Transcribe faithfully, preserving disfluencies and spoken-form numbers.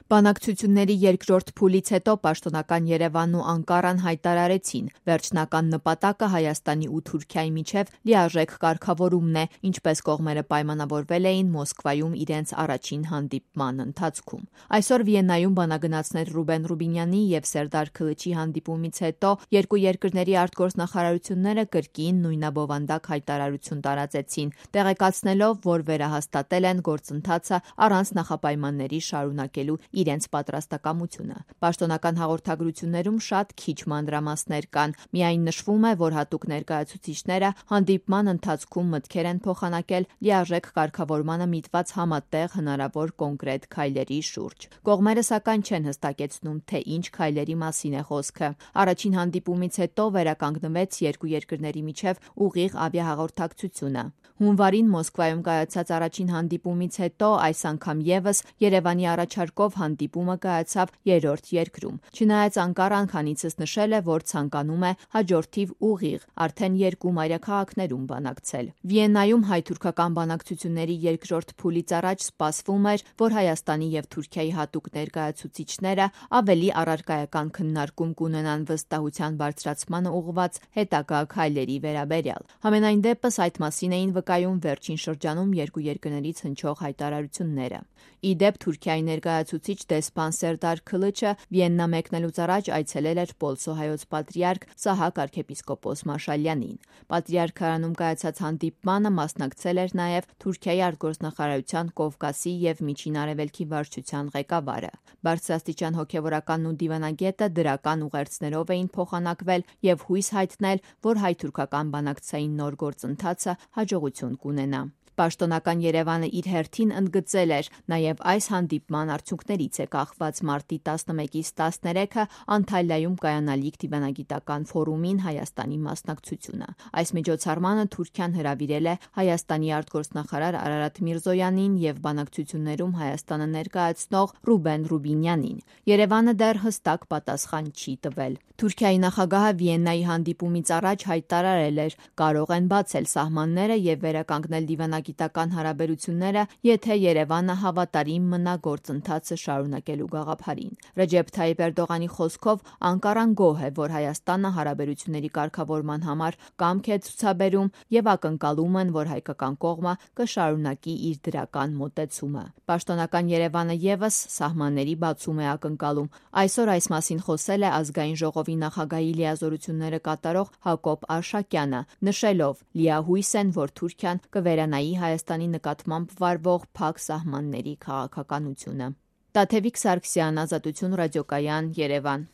Բանակցությունների երկրորդ փուլից հետո պաշտոնական Երևանն ու Անկարան հայտարարեցին, վերջնական նպատակը Հայաստանի ու Թուրքիայի միջև լիարժեք կարգավորումն է, ինչպես կողմերը պայմանավորվել էին Մոսկվայում իրենց առաջին հանդիպման ընթացքում։ Այսօր Վիեննայում բանագնացներ Ռուբեն Ռուբինյանի և Սերդար Քլիչի հանդիպումից հետո երկու երկրների արտգործնախարարությունները կրկին նույնաբովանդակ հայտարարություն տարածեցին, տեղեկացնելով, որ վերահաստատել են գործընթացը առանց նախապայմանների շարունակելու իրենց պատրաստակամությունը։ Պաշտոնական հաղորդագրություններում շատ քիչ մանրամասներ կան, միայն նշվում է, որ հատուկ ներկայացուցիչները հանդիպման ընթացքում մտքեր են փոխանակել լիարժեք կարգավորմանը միտված համատեղ հնարավոր կոնկրետ քայլերի շուրջ։ Կողմերը սակայն չեն հստակեցնում, թե ինչ քայլերի մասին է խոսքը։ Առաջին հանդիպումից հետո վերականգնվեց երկու երկրների միջև ուղիղ ավիահաղորդակցությունը։ Հունվարին Մոսկվայում կայացած առաջին հանդիպումից հետո այս անգամ ևս Երևանի առաջարկով հանդիպումը կայացավ երրորդ երկրում։ Չնայած Անկարան քանիցս նշել է, որ ցանկանում է հաջորդիվ ուղիղ արդեն երկու մայրաքաղաքներում բանակցել։ Վիեննայում հայ-թուրքական բանակցությունների երկրորդ փուլից առաջ սպասվում էր, որ Հայաստանի և Թուրքիայի հատուկ ներկայացուցիչները ավելի առարկայական քննարկում կունենան վստահության բարձրացմանը ուղղված հետագա քայլերի վերաբերյալ։ Համենայն դեպս այդ մասին էին վկայում վերջին շրջանում երկու երկրներից հնչող հայտարարությունները։ Ի դեպ, Թուրքիայի ներկայացուցիչ դեսպան Սերդար Քլիչը Վիեննա մեկնելուց առաջ այցելել էր Պոլսո հայոց պատրիարք Սահակ արքեպիսկոպոս Մաշալյանին։ Պատրիարքարանում կայացած հանդիպմանը մասնակցել էր նաև Թուրքիայի արտգործնախարարության Կովկասի և Միջին Արևելքի վարչության ղեկավարը։ Բարձրաստիճան հոգևորականն ու դիվանագետը դրական ուղերձներով էին փոխանակվել և հույս հայտնել, որ հայ-թուրքական բանակցային նոր գործընթացը հաջողություն կունենա։ Պաշտոնական Երևանը իր հերթին ընդգծել էր, նաև այս հանդիպման արդյունքներից է կախված մարտի տասնմեկից տասներեքը Անտալիայում կայանալիք դիվանագիտական ֆորումին Հայաստանի մասնակցությունը։ Այս միջոցառմանը Թուրքիան հրավիրել է Հայաստանի արտգործնախարար Արարատ Միրզոյանին և բանակցություններում Հայաստանը ներկայացնող Ռուբեն Ռուբինյանին։ Երևանը դեռ հստակ պատասխան չի տվել։ Թուրքիայի նախագահը Վիեննայի հանդիպումից առաջ հայտարարել էր, կարող են բացել սահմանները և վերականգնել դիվանագիտական հարաբերությունները, եթե Երևանը հավատարիմ մնա գործընթացը շարունակելու գաղափարին։ Ռեջեփ Թայիպ Էրդողանի խոսքով Անկարան գոհ է, որ Հայաստանը հարաբերությունների կարգավորման համար կամք է ցուցաբերում և ակնկալում են, որ հայկական կողմը կշարունակի իր դրական մոտեցումը։ Պաշտոնական Երևանը ևս սահմանների բացում է ակնկալում։ Այսօր այս մասին խոսել է Ազգային ժողովի նախագահի լիազորությունները կատարող Հակոբ Արշակյանը, նշելով՝ լիահույս են, որ Թուրքիան կվերանայի Հայաստանի նկատմամբ վարվող փակ սահմանների քաղաքականությունը։ Տաթևիկ Սարգսյան, Ազատություն ռադիոկայան, Երևան։